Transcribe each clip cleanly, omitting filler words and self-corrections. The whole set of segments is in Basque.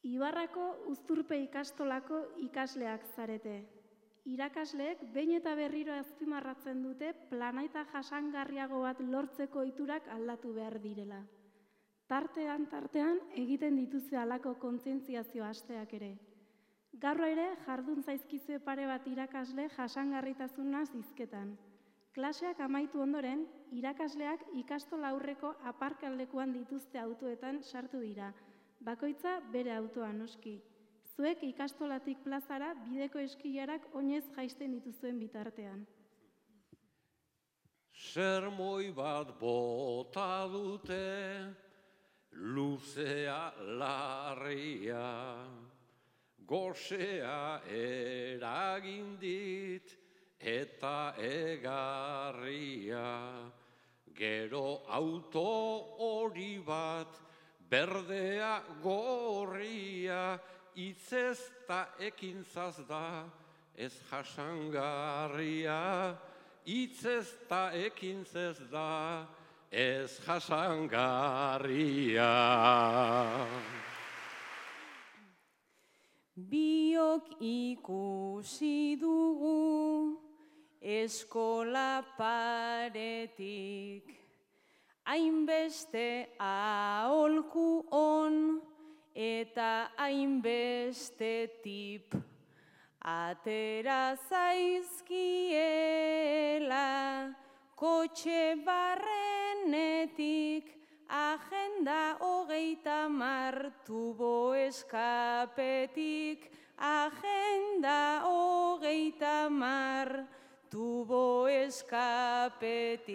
Ibarrako Uzturpe ikastolako ikasleak zarete. Irakasleek behin eta berriro azpimarratzen dute planeta jasangarriago bat lortzeko ohiturak aldatu behar direla. Tartean egiten dituzte halako kontzientziazio asteak ere. Gaur ere jardun zaizkizue pare bat irakasle jasangarritasunaz hizketan. Klaseak amaitu ondoren, irakasleak ikastola aurreko aparkalekuan dituzte autoetan sartu dira. Bakoitza bere autoa noski. Zuek ikastolatik plazara bideko eskilarak oinez jaisten dituzuen bitartean. Sermoi bat bota dute, luzea larria, gosea eragin dit eta egarria. Gero auto hori bat, berdea gorria, itzez ta ekintzaz da, ez jasangarria. Itzez ta ekintzez da, ez jasangarria. Biok ikusi dugu eskola paretik, hainbeste aholku on eta hainbeste tip. Atera zaizkiela kotxe barrenetik, agenda 30 tubo eskapetik, agenda 30 tubo eskapetik.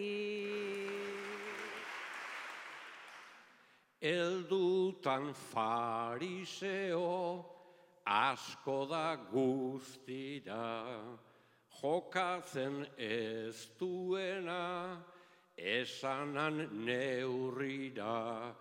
Eldutan fariseo, asko da guztira, jokatzen ez duena, esanan neurrira.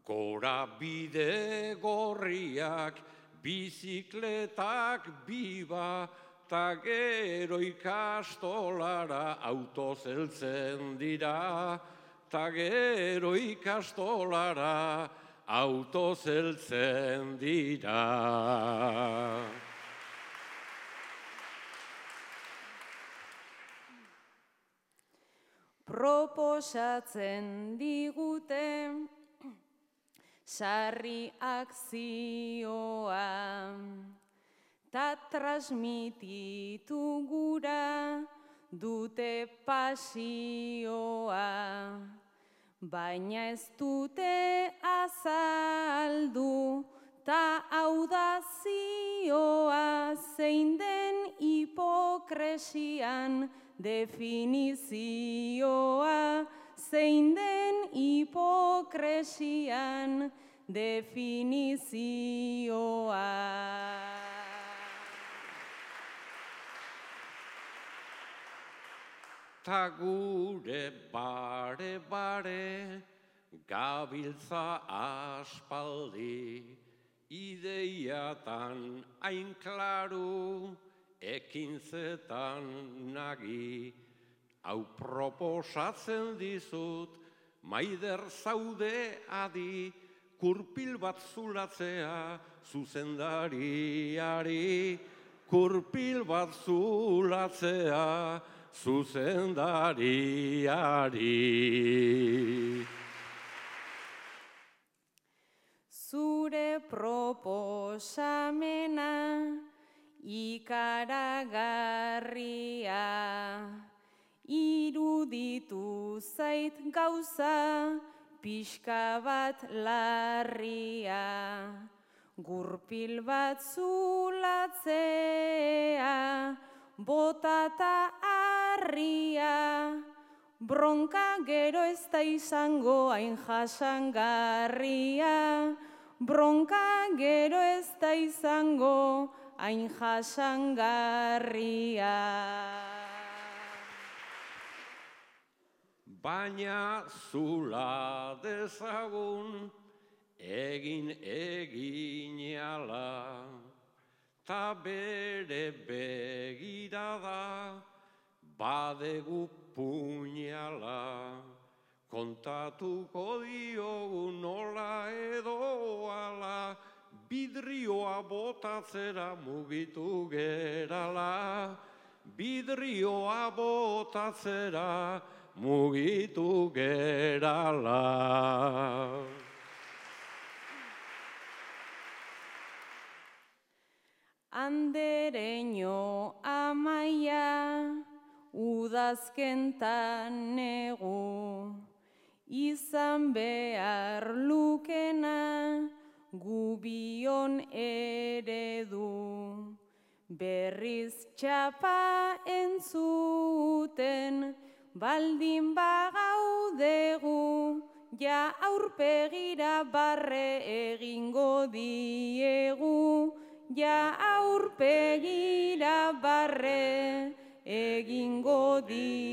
Gora bide gorriak, bizikletak biba, ta gero ikastolara autoz heltzen dira, ta gero ikastolara autoz heltzen dira. Proposatzen digute sarri akzioa, ta transmititu gura dute pasioa. Baina ez dute azaldu, ta audazioa, zein den hipokresian definizioa, zein den hipokresian definizioa. Ta gure bare, gabiltza aspaldi, ideiatan hain klaru, ekintzetan nagi. Hau proposatzen dizut, maider zaude adi, kurpil bat zulatzea zuzendariari, kurpil bat zulatzea zuzendariari. Zure proposamena ikaragarria, iruditu zait gauza pixka bat larria. Gurpil bat zulatzea, botata harria, bronka gero ez da izango hain jasangarria, bronka gero ez da izango hain jasangarria. Baina zula dezagun eginala, ta bere begirada badegu puñala. Kontatuko diogu nola edo ala, bidri botatzera mugitu gerala, bidrioa botatzera mugitu gerala. Andereño amaia, udazkentan negu, izan behar lukena, gubion eredu. Berriz txapa entzuten, baldin bagaudegu, ja aurpegira barre egingo diegu, ja aurpegira barre egingo diegu.